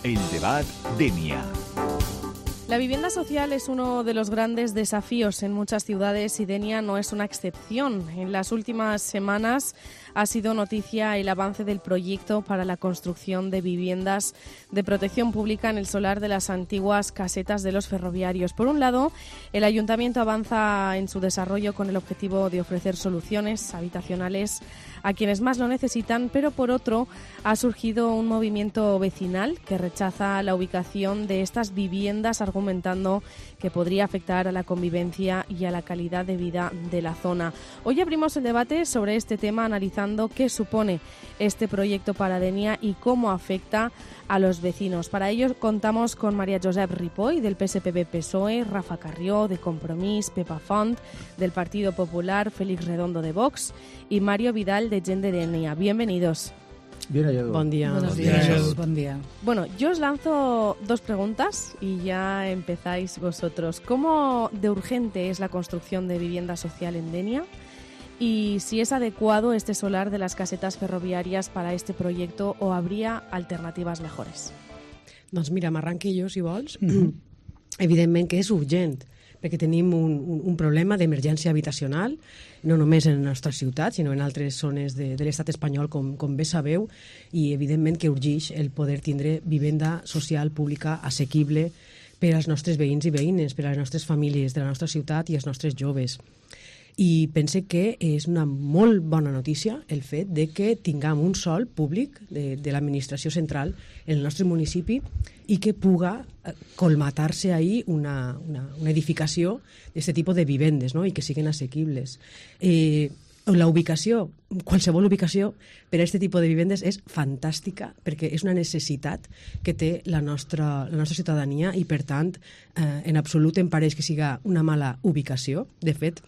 El debat Denia. La vivienda social es uno de los grandes desafíos en muchas ciudades y Denia no es una excepción. En las últimas semanas ha sido noticia el avance del proyecto para la construcción de viviendas de protección pública en el solar de las antiguas casetas de los ferroviarios. Por un lado, el Ayuntamiento avanza en su desarrollo con el objetivo de ofrecer soluciones habitacionales a quienes más lo necesitan, pero por otro ha surgido un movimiento vecinal que rechaza la ubicación de estas viviendas, argumentando que podría afectar a la convivencia y a la calidad de vida de la zona. Hoy abrimos el debate sobre este tema analizando qué supone este proyecto para Denia y cómo afecta a los vecinos. Para ello contamos con María Josep Ripoll del PSPB-PSOE, Rafa Carrió de Compromís, Pepa Font del Partido Popular, Félix Redondo de Vox y Mario Vidal de Gent de Denia. Bienvenidos. Bien hallado. Buen día. Buenos días. Buen día. Bueno, yo os lanzo dos preguntas y ya empezáis vosotros. ¿Cómo de urgente es la construcción de vivienda social en Denia? Y si es adecuado este solar de las casetas ferroviàries para este proyecto o habría alternativas mejores? Doncs mira, m'arranqui jo, si vols. Evidentment que és urgent, perquè tenim un problema d'emergència habitacional, no només en la nostra ciutat, sinó en altres zones de l'estat espanyol, com bé sabeu, i evidentment que urgeix el poder tindre vivenda social pública assequible per als nostres veïns i veïnes, per a les nostres famílies de la nostra ciutat i els nostres joves. I pense que és una molt bona notícia el fet de que tinguem un sòl públic de l'administració central en el nostre municipi i que puga colmatar-se ahí una edificació d'aquest tipus de vivendes, no? I que siguin assequibles. La ubicació, qualsevol ubicació per a aquest tipus de vivendes és fantàstica perquè és una necessitat que té la nostra ciutadania i, per tant, en absolut em pareix que siga una mala ubicació. De fet,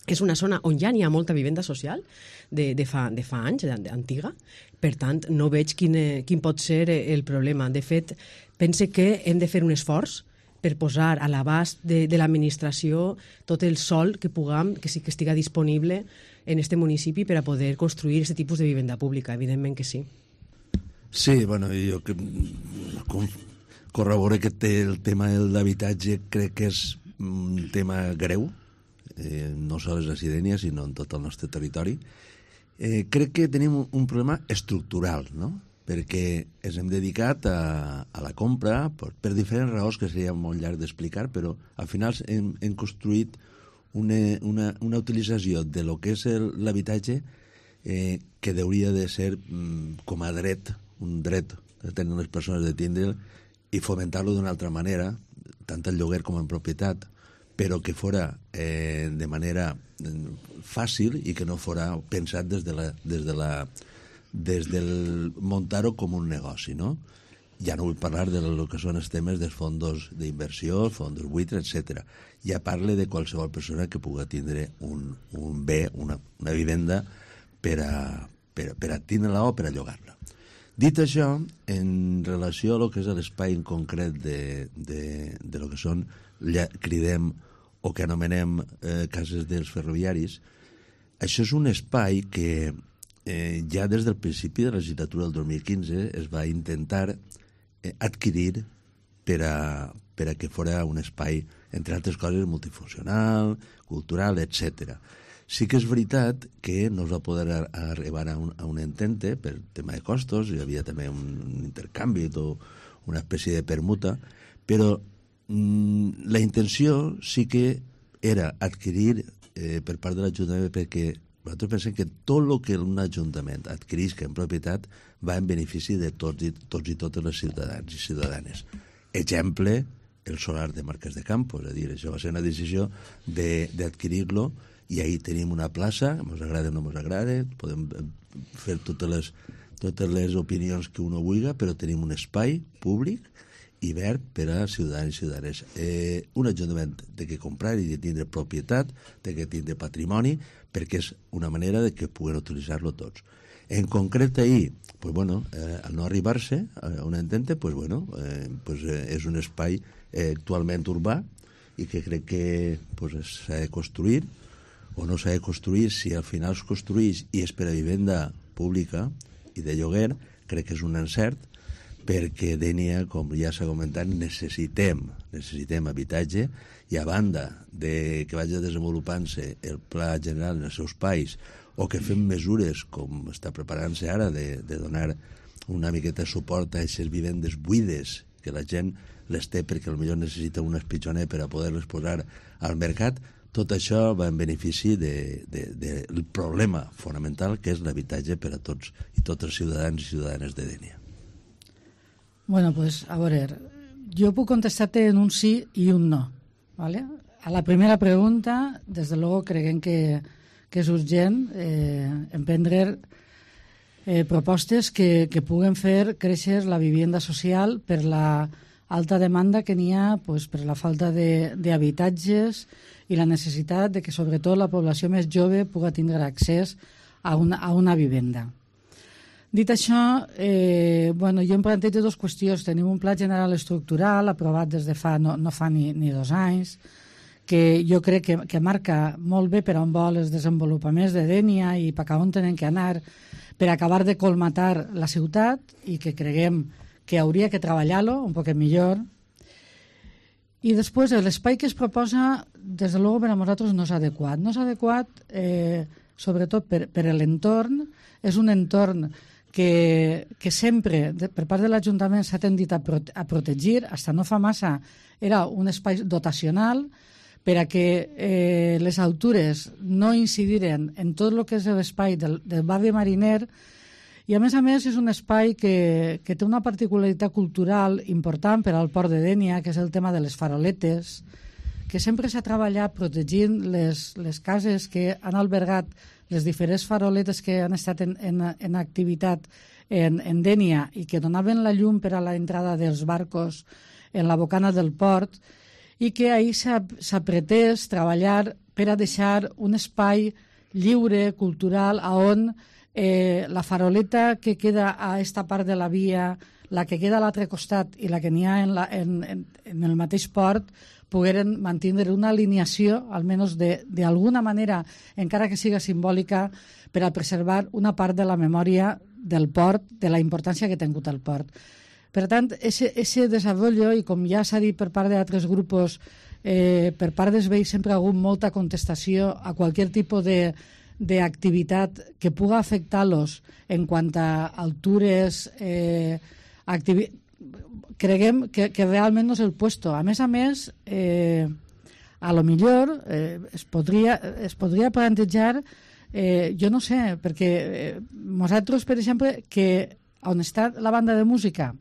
és una zona on ja n'hi ha molta vivenda social de fa anys, antiga. Per tant, no veig quin pot ser el problema. De fet, pense que hem de fer un esforç per posar a l'abast de l'administració tot el sòl que puguem, que sí que estigui disponible en este municipi per a poder construir aquest tipus de vivenda pública. Evidentment que sí. Sí, bueno, jo corroboro que el tema de l'habitatge crec que és un tema greu, no sols a Denia, sinó en tot el nostre territori. Crec que tenim un problema estructural, no? Perquè ens hem dedicat a la compra per diferents raons que seria molt llarg d'explicar, però al final hem construït una utilització de lo que és l'habitatge que hauria de ser com a dret, un dret que tenen les persones de tindre'l i fomentar-lo d'una altra manera, tant en lloguer com en propietat, però que fora de manera fàcil i que no fora pensat des del muntar-ho com un negoci, no? Ja no vull parlar de lo que són els temes dels fons d'inversió, fons buitres, etc. Ja parle de qualsevol persona que pugui tindre un bé, una vivenda per a tindre-la o per a llogar-la. Dit això, en relació a lo que és l'espai en concret de lo que són, cridem o que anomenem cases dels ferroviaris, això és un espai que ja des del principi de la legislatura del 2015 es va intentar adquirir per a que fora un espai, entre altres coses, multifuncional, cultural, etc. Sí que és veritat que no es va poder arribar a un entente per tema de costos, hi havia també un intercanvi o una espècie de permuta, però la intenció sí que era adquirir per part de l'Ajuntament, perquè nosaltres pensem que tot el que un Ajuntament adquirisca en propietat va en benefici de tots i totes les ciutadans i ciutadanes. Exemple, el solar de Marquès de Campos, és a dir, això va ser una decisió d'adquirir-lo i ahí tenim una plaça, ens agrada o no ens agrada, podem fer totes les opinions que uno vulgui, però tenim un espai públic i verd per a ciutadans i ciutadanes. Un ajuntament té que comprar i de tindre propietat, té que tindre patrimoni, perquè és una manera de que puguen utilitzar-lo tots. En concret, ahir, pues bueno, al no arribar-se a un entente, pues bueno, és un espai actualment urbà i que crec que s'ha de construir o no s'ha de construir. Si al final es construeix i és per a vivenda pública i de lloguer, crec que és un encert, perquè Dénia, com ja s'ha comentat, necessitem habitatge, i a banda de que vagi desenvolupant-se el pla general en els seus espais, o que fem mesures com està preparant-se ara de donar una miqueta de suport a aquestes vivendes buides, que la gent les té perquè potser necessita un espitjoner per a poder-les posar al mercat, tot això va en benefici del problema fonamental que és l'habitatge per a tots i tots els ciutadans i ciutadanes de Dénia. Bueno, pues a veure, jo puc contestar-te en un sí i un no, ¿vale? A la primera pregunta, des de luego creguem que és urgent emprendre propostes que puguen fer créixer la vivienda social per la alta demanda que n'hi ha, pues, per la falta d'habitatges i la necessitat de que sobretot la població més jove pugui tindre accés a una vivenda. Dit això, jo em plantejo dues qüestions. Tenim un pla general estructural aprovat des de no fa ni 2 anys, que jo crec que marca molt bé per on vol els desenvolupaments de Dénia i per on tenen que anar per acabar de colmatar la ciutat, i que creguem que hauria que treballar-lo un poc millor. I després, l'espai que es proposa, des de luego, per a nosaltres no és adequat. No és adequat, sobretot per l'entorn. És un entorn que sempre, per part de l'Ajuntament, s'ha tendit a protegir. Fins no fa massa era un espai dotacional per a que les altures no incidiren en tot el que és l'espai del barri mariner. I, a més, és un espai que té una particularitat cultural important per al port de Dénia, que és el tema de les faroletes, que sempre s'ha treballat protegint les cases que han albergat les diferents faroletes que han estat en activitat en Dénia i que donaven la llum per a l'entrada dels barcos en la bocana del port, i que ahir s'ha pretès treballar per a deixar un espai lliure, cultural, on la faroleta que queda a esta part de la via, la que queda a l'altre costat i la que n'hi ha en el mateix port, pogueren mantenir una alineació, almenys d'alguna manera, encara que siga simbòlica, per a preservar una part de la memòria del port, de la importància que ha tingut el port. Per tant, ese desenvolupament, i com ja s'ha dit per part d'altres grups, per part dels veïns sempre ha hagut molta contestació a qualsevol tipus d'activitat que pugui afectar-los en quant a altures, creguem que realment no és el puesto. A més, a lo millor es podria plantejar, jo no sé, perquè nosaltres, per exemple, que on està la banda de música,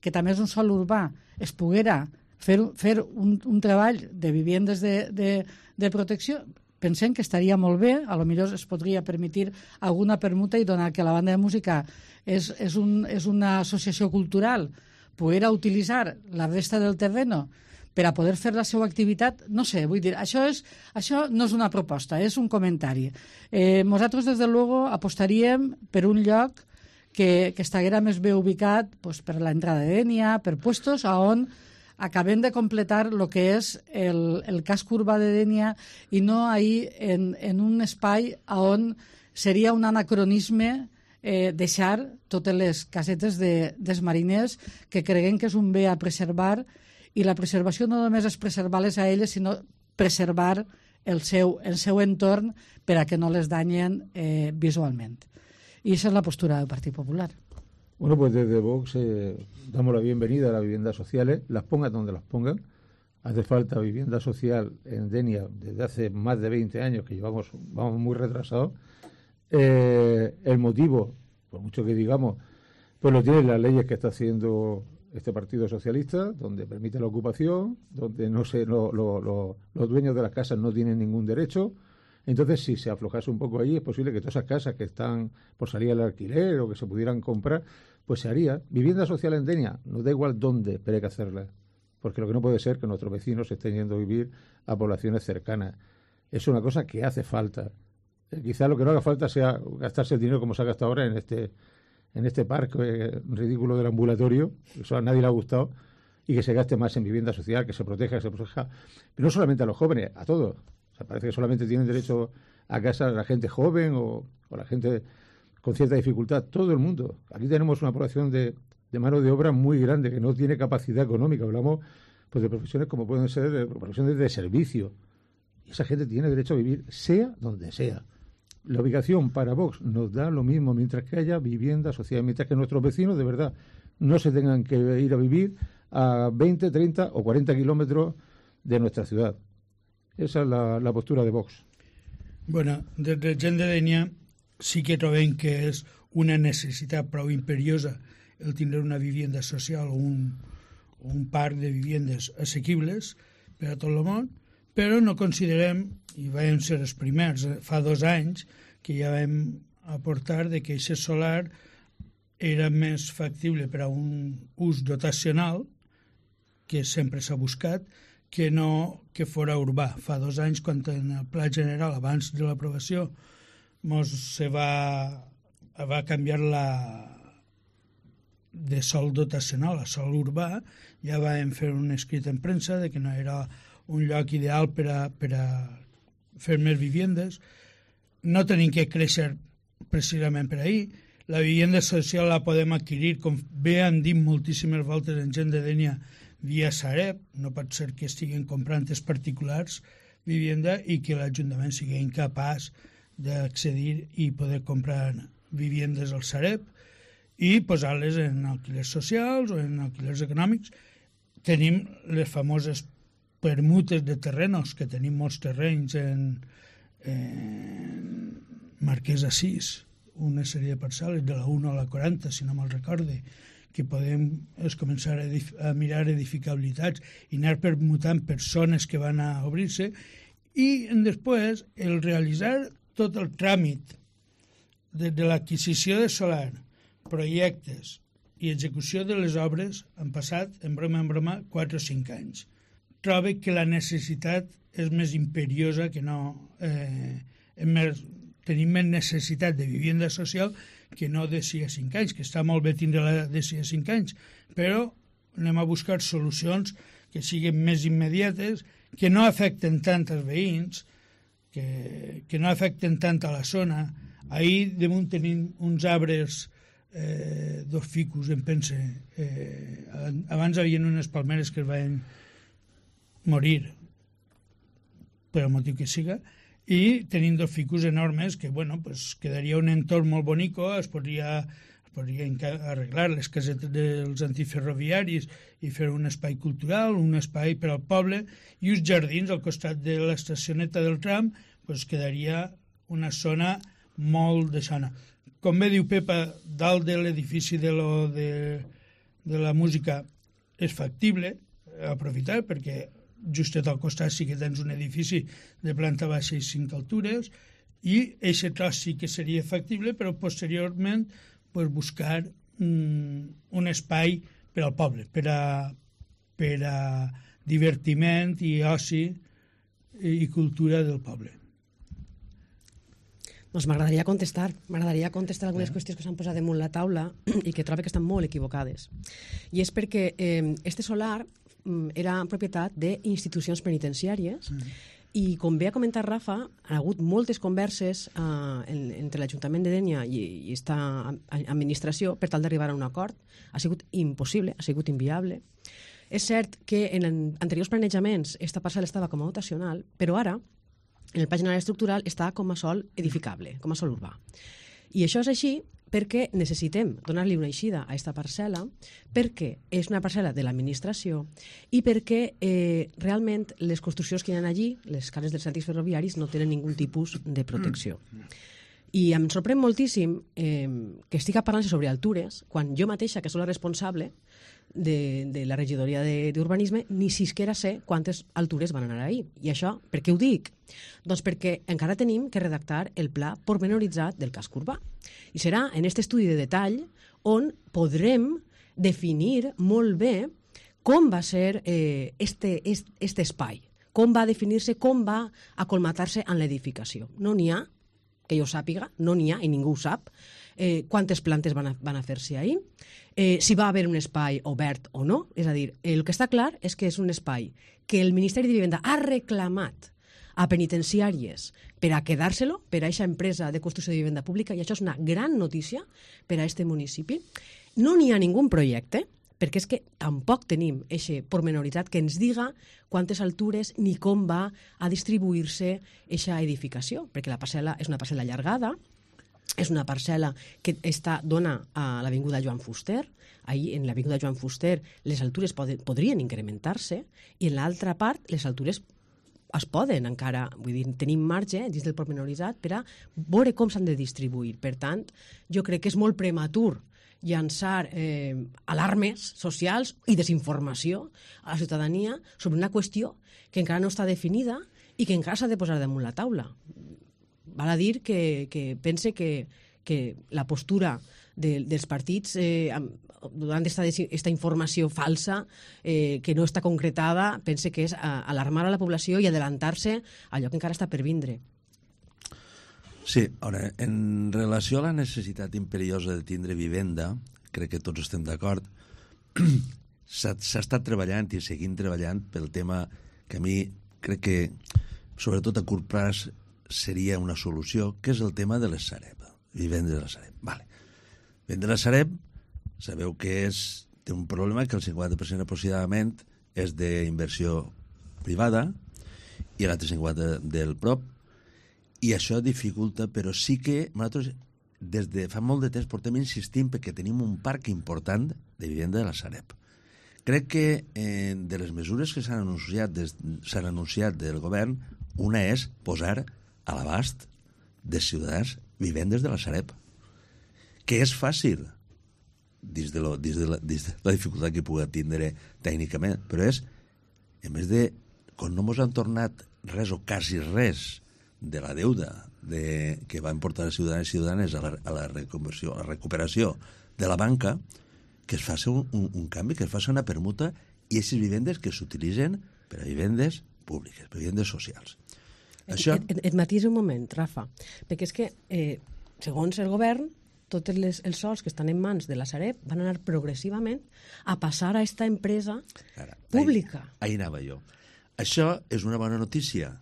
que també és un sòl urbà, es poguera fer un treball de vivendes de protecció, pensem que estaria molt bé. A lo millor es podria permetre alguna permuta, i donar que la banda de música és una associació cultural, poder utilitzar la resta del terreno per a poder fer la seva activitat. No sé, vull dir, això no és una proposta, és un comentari. Nosaltres, des de luego, apostaríem per un lloc que estiguera més bé ubicat, pues, per l'entrada de Dénia, per puestos on acabem de completar el que és el casc urbà de Dénia, i no ahir en un espai on seria un anacronisme deixar totes les casetes dels mariners, que creguem que és un bé a preservar, i la preservació no només és preservar-les a elles, sinó preservar el seu entorn per a que no les danyen visualment. Y esa es la postura del Partido Popular. Bueno, pues desde Vox damos la bienvenida a las viviendas sociales, las pongan donde las pongan. Hace falta vivienda social en Dénia desde hace más de 20 años, que vamos muy retrasados. El motivo, por mucho que digamos, pues lo tienen las leyes que está haciendo este Partido Socialista, donde permite la ocupación, donde los dueños de las casas no tienen ningún derecho. Entonces, si se aflojase un poco allí, es posible que todas esas casas que están por salir al alquiler o que se pudieran comprar, pues se haría. Vivienda social en Dénia, nos da igual dónde, pero hay que hacerla. Porque lo que no puede ser que nuestros vecinos estén yendo a vivir a poblaciones cercanas. Es una cosa que hace falta. Quizá lo que no haga falta sea gastarse el dinero como se ha gastado ahora en este parque ridículo del ambulatorio, que eso a nadie le ha gustado, y que se gaste más en vivienda social, que se proteja. Pero no solamente a los jóvenes, a todos. O sea, parece que solamente tienen derecho a casa la gente joven o la gente con cierta dificultad. Todo el mundo. Aquí tenemos una población de de mano de obra muy grande, que no tiene capacidad económica. Hablamos pues de profesiones como pueden ser profesiones de servicio. Y esa gente tiene derecho a vivir, sea donde sea. La ubicación para Vox nos da lo mismo mientras que haya vivienda social, mientras que nuestros vecinos de verdad no se tengan que ir a vivir a 20, 30 o 40 kilómetros de nuestra ciudad. Esa es la postura de Vox. Bueno, des de Gent de Dénia sí que trobem que és una necessitat prou imperiosa el tindre una vivienda social o un parc de viviendes assequibles per a tot el món, però no considerem, i vam ser els primers fa 2 anys, que ja vam aportar de que aquest solar era més factible per a un ús dotacional, que sempre s'ha buscat, que no que fora urbà. Fa 2 anys, quan en el Pla General, abans de l'aprovació, se va canviar de sòl dotacional a sòl urbà, ja vam fer un escrit en premsa de que no era un lloc ideal per a fer més viviendes. No tenim que créixer precisament per ahir. La vivienda social la podem adquirir, com bé han dit moltíssimes voltes en Gent de Dénia, via Sareb. No pot ser que estiguin comprant els particulars vivienda i que l'Ajuntament sigui incapaç d'accedir i poder comprar viviendes al Sareb i posar-les en alquilers socials o en alquilers econòmics. Tenim les famoses permutes de terrenos, que tenim molts terrenys en Marquès Assís, una sèrie de parcel·les de la 1 a la 40, si no me'l recorde, que podem començar a mirar edificabilitats i anar permutant persones que van a obrir-se, i després el realitzar tot el tràmit de l'adquisició de solar, projectes i execució de les obres han passat, en broma, 4 o 5 anys. Trobo que la necessitat és més imperiosa que no... tenim més necessitat de vivienda social que no de 6 a 5 anys, que està molt bé tindre-la de 6 a 5 anys, però anem a buscar solucions que siguin més immediates, que no afecten tant als veïns, que no afecten tant a la zona. Ahir damunt tenim uns arbres, 2 ficus, em pense. Abans hi havia unes palmeres que es van morir, per el motiu que siga, i tenim 2 ficus enormes que, bueno, pues quedaria un entorn molt bonico, es podria arreglar les casetes dels antiferroviaris i fer un espai cultural, un espai per al poble, i uns jardins al costat de l'estacioneta del tram, pues quedaria una zona molt de sana. Com bé diu Pepa, dalt de l'edifici de la música és factible aprofitar, perquè justet al costat sí que tens un edifici de planta baixa i 5 altures, i aquest tros sí que seria factible, però posteriorment pues, buscar un espai per al poble, per a divertiment i oci i cultura del poble. Doncs m'agradaria contestar algunes qüestions que s'han posat damunt la taula i que trobo que estan molt equivocades. I és perquè este solar era propietat d'institucions penitenciàries i, com bé ha comentat Rafa, ha hagut moltes converses entre l'Ajuntament de Dénia i aquesta administració per tal d'arribar a un acord. Ha sigut impossible, ha sigut inviable. És cert que en anteriors planejaments aquesta parcel·la estava com a dotacional, però ara en el Pla General Estructural està com a sòl edificable, com a sòl urbà. I això és així perquè necessitem donar-li una eixida a aquesta parcel·la, perquè és una parcel·la de l'administració i perquè realment les construccions que hi ha allí, les cares dels antics ferroviaris, no tenen ningun tipus de protecció. I em sorprèn moltíssim que estigui parlant sobre altures, quan jo mateixa, que soc la responsable de la regidoria d'urbanisme, ni siquiera sé quantes altures van anar ahir. I això, per què ho dic? Doncs perquè encara tenim que redactar el pla pormenoritzat del casc urbà. I serà en aquest estudi de detall on podrem definir molt bé com va ser este espai, com va definir-se, com va acolmatar-se en l'edificació. No n'hi ha, que jo sàpiga, no n'hi ha, i ningú ho sap, quantes plantes van a fer-se ahir, si va haver un espai obert o no. És a dir, el que està clar és que és un espai que el Ministeri de Vivenda ha reclamat a penitenciàries per a quedar-se-lo, per a aquesta empresa de construcció de vivenda pública, i això és una gran notícia per a este municipi. No n'hi ha ningú projecte, perquè és que tampoc tenim aquest pormenoritzat que ens diga quantes altures ni com va a distribuir-se aquesta edificació, perquè la parcel·la és una parcel·la allargada, és una parcel·la que dona a l'avinguda Joan Fuster. Ahir, en l'avinguda Joan Fuster, les altures podrien incrementar-se, i en l'altra part les altures es poden encara, vull dir, tenim marge dins del pormenoritzat per a veure com s'han de distribuir. Per tant, jo crec que és molt prematur llançar alarmes socials i desinformació a la ciutadania sobre una qüestió que encara no està definida i que encara s'ha de posar damunt la taula. Val a dir que pense que la postura dels partits donant aquesta informació falsa que no està concretada, pense que és alarmar a la població i adelantar-se a allò que encara està per vindre. Sí, ara, en relació a la necessitat imperiosa de tindre vivenda, crec que tots estem d'acord, s'ha estat treballant i seguint treballant pel tema que a mi crec que, sobretot a curt plaç, seria una solució, que és el tema de les Sareb, vivendes de la Sareb. Vale. Vendre la Sareb, sabeu que té un problema que el 50% aproximadament és d'inversió privada i l'altre 50% del prop, i això dificulta, però sí que nosaltres des de fa molt de temps portem insistint perquè tenim un parc important de vivenda de la Sareb. Crec que de les mesures que s'han anunciat del govern, una és posar a l'abast de ciutadans vivendes de la Sareb, que és fàcil dins de la dificultat que pugui tindre tècnicament, però és, a més de, quan no mos han tornat res o quasi res de la deuda que van portar els ciutadans i ciutadanes a la recuperació de la banca, que es faci un canvi, que es faci una permuta, i aquestes vivendes que s'utilitzen per a vivendes públiques, per a vivendes socials. Et matís un moment, Rafa, perquè és que, segons el govern, tots els sols que estan en mans de la Sareb van anar progressivament a passar a aquesta empresa pública. Ahí anava jo. Això és una bona notícia,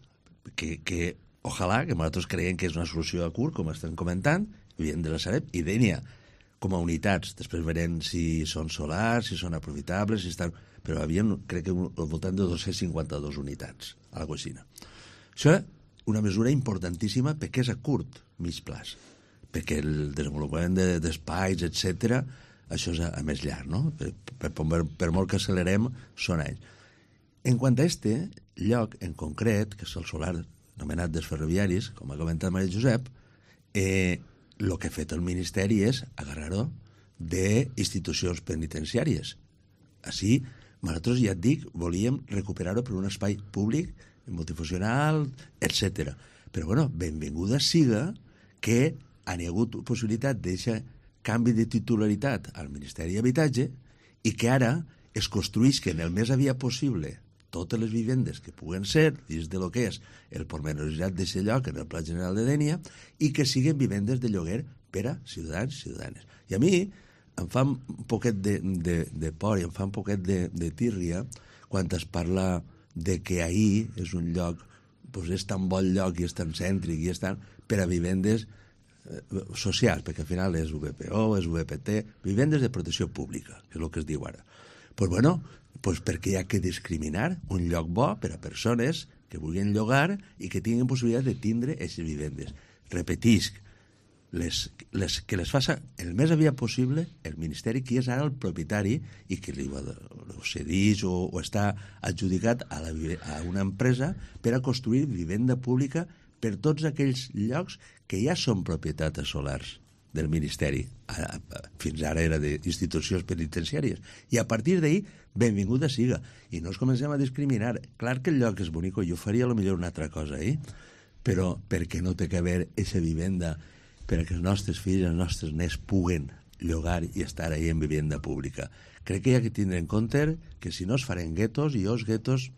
que ojalà, que nosaltres creiem que és una solució a curt, com estem comentant, vivent de la Sareb, i Dénia, com a unitats. Després veurem si són solars, si són aprofitables, però havíem, crec que al voltant de 252 unitats a la cocina. Això és una mesura importantíssima perquè és a curt, mig plaç, perquè el desenvolupament d'espais, etc., això és a més llarg, no? Per molt que accelerem, són anys. En quant a este lloc en concret, que és el solar anomenat dels ferroviaris, com ha comentat Maria Josep, el que ha fet el Ministeri és agarrar-ho d'institucions penitenciàries. Així, nosaltres, ja et dic, volíem recuperar-ho per un espai públic, multifuncional, etc. Però, bueno, benvinguda siga que hi ha hagut possibilitat d'aquest canvi de titularitat al Ministeri d'Habitatge i que ara es construís que en el més aviat possible totes les vivendes que puguen ser dins de lo que és el pormenoritzat d'aquest lloc en el Pla General de Dénia i que siguen vivendes de lloguer per a ciutadans i ciutadanes. I a mi em fa un poquet de por i em fa un poquet de tírria quan es parla de que ahir és un lloc, és tan bon lloc i és tan cèntric i és tan per a vivendes socials, perquè al final és VPO, és VPT, vivendes de protecció pública, que és el que es diu ara. Doncs bueno, perquè hi ha que discriminar un lloc bo per a persones que vulguin llogar i que tinguin possibilitat de tindre aquestes vivendes. Repetisc, que les faça el més aviat possible el Ministeri, que és ara el propietari i que li cedeix o està adjudicat a una empresa per a construir vivenda pública per tots aquells llocs que ja són propietats solars del Ministeri. Fins ara era d'institucions penitenciàries. I a partir d'ahir, benvinguda siga. I no ens comencem a discriminar. Clar que el lloc és bonic, jo faria potser una altra cosa, però perquè no té que haver aquesta vivenda perquè els nostres fills, els nostres nets puguen llogar i estar ahí en vivenda pública. Crec que hi ha que tindre en compte que si no es faran guetos, i jo els guetos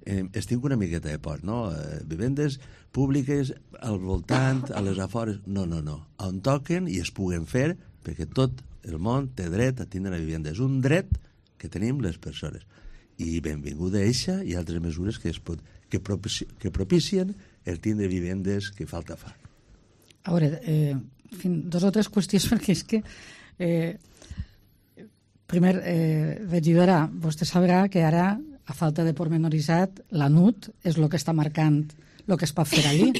es tinc una miqueta de por, no? Vivendes públiques al voltant, a les afores, no. On toquen i es puguen fer, perquè tot el món té dret a tindre una vivenda. És un dret que tenim les persones. i benvinguda eixa i altres mesures que propicien el tindre vivendes que falta fa. A veure, dos o tres qüestions, perquè és que primer, regidora, vostè sabrà que ara, a falta de pormenoritzat, la NUT és el que està marcant el que es pot fer allí.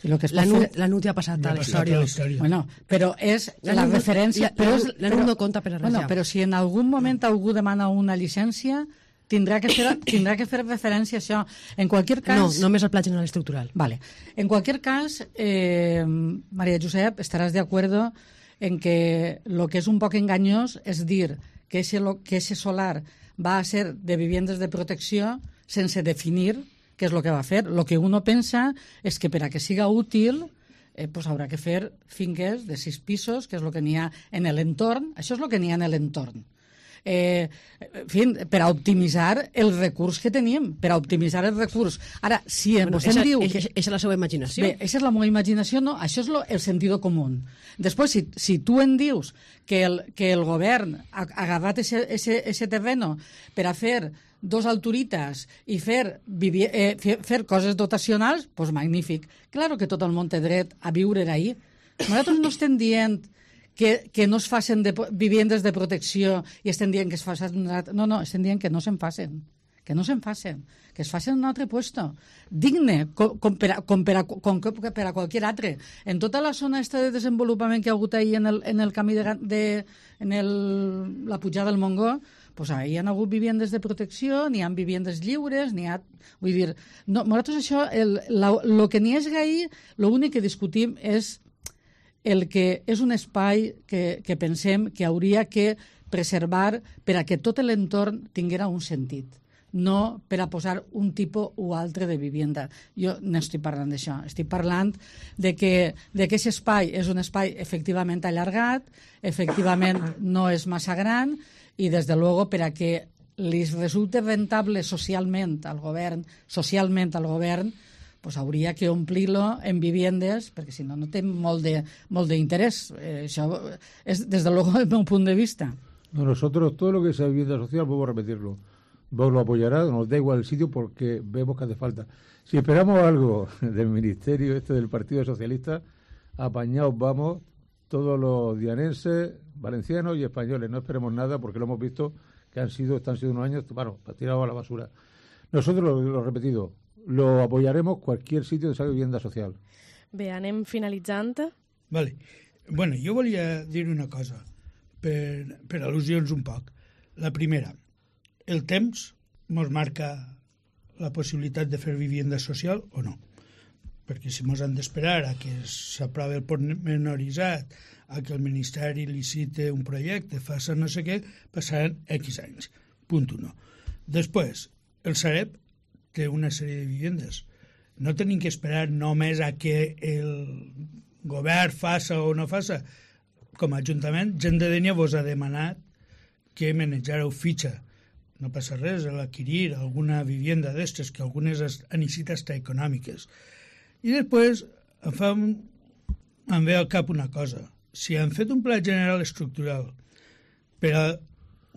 La NUT ja ha passat a la història. Bueno, però és la referència... La NUT no compta per a res. Bueno, però si en algun moment algú demana una llicència, tindrà que fer referència a això. En qualsevol cas... No, només el Pla General Estructural. Vale. En cualquier cas, María Josep, estaràs de acuerdo en que lo que és un poc enganyós és dir que ese solar va a ser de viviendas de protecció sense definir què és el que va fer. El que uno pensa és que per a que siga útil pues haurà que fer finques de 6 pisos, que és el que n'hi ha en l'entorn. Això és el que n'hi ha en l'entorn. En fi, per a optimitzar el recurs que tenim, per a optimitzar el recurs. Ara, si vostè em diu... Eixa és la seva imaginació. Bé, eixa és la meva imaginació, no, això és el sentit comú. Després, si tu em dius que el govern ha agafat ese terreno per a fer 2 alturitas i fer coses dotacionals, doncs magnífic. Claro que tot el món té dret a viure ahí. Nosaltres no estem dient que no es facin viviendes de protecció i estem dient que es facin... No, estem dient que no se'n facin. Que no se'n facin. Que es facin en un altre puesto. Digne, com per a qualsevol altre. En tota la zona esta de desenvolupament que ha hagut ahir en el camí la pujada del Montgó, pues ahí hi ha hagut viviendes de protecció, n'hi ha viviendes lliures, n'hi ha... Vull dir, no, nosaltres això, el que n'hi és ahí, l'únic que discutim és el que és un espai que pensem que hauria que preservar per a que tot l'entorn tinguera un sentit, no per a posar un tipus o altre de vivienda. Jo no estic parlant d'això, estic parlant de que aquest espai és un espai efectivament allargat, efectivament no és massa gran, i des de luego per a que li resulte rentable socialment al govern, pues hauria que omplir-lo en viviendes, perquè si no, no té molt d'interès. Això és, des de luego, el meu punt de vista. No, nosotros, todo lo que sea vivienda social, vuelvo a repetirlo, vos lo apoyará, nos da igual el sitio porque vemos que hace falta. Si esperamos algo del ministerio del Partido Socialista, apañados vamos todos los dianenses, valencianos y españoles. No esperemos nada porque lo hemos visto que están siendo unos años, bueno, tirados a la basura. Nosotros, lo repetido, lo apoyaremos cualquier sitio de esa vivienda social. Bé, anem finalitzant. Vale. Bueno, jo volia dir una cosa, per al·lusions un poc. La primera, el temps ens marca la possibilitat de fer vivienda social o no? Perquè si ens han d'esperar a que s'aprovi el pormenoritzat, a que el Ministeri licite un projecte, faça no sé què, passaran X anys. Punt 1. Després, el Sareb té una sèrie de vivendes. No tenim que esperar només a que el govern faça o no faça. Com a Ajuntament, gent de Dénia vos ha demanat que manejareu fitxa. No passa res a l'adquirir alguna vivienda d'estes, que algunes han eixit hasta econòmiques. I després em ve al cap una cosa. Si han fet un pla general estructural per a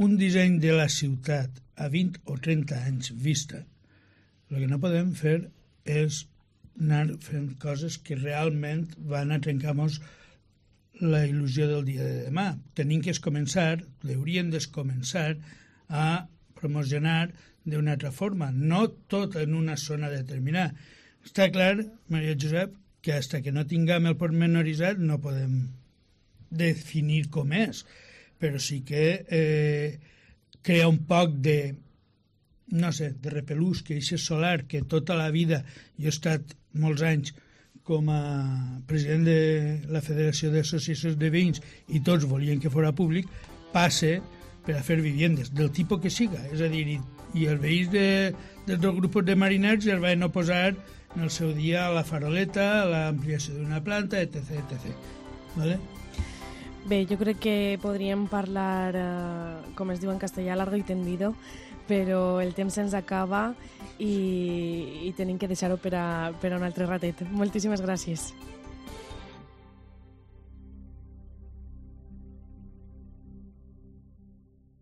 un disseny de la ciutat a 20 o 30 anys vista, el que no podem fer és anar fent coses que realment van a trencar-nos la il·lusió del dia de demà. Tenim que hauríem de començar a promocionar d'una altra forma, no tot en una zona determinada. Està clar, Maria Josep, que fins que no tinguem el pormenoritzat no podem definir com és, però sí que crea un poc de, no sé, de repelús, que aquest solar que tota la vida, jo he estat molts anys com a president de la Federació d'Associacions de Veïns i tots volien que fos públic, passe per a fer viviendes, del tipus que siga. És a dir, i els veïns dels dos grups de mariners ja es van oposar en el seu dia a la faroleta, a l'ampliació d'una planta, etc. ¿Vale? Bé, jo crec que podríem parlar, com es diu en castellà, largo y tendido, però el temps se'ns acaba i tenim que deixar-ho per a un altre ratet. Moltíssimes gràcies.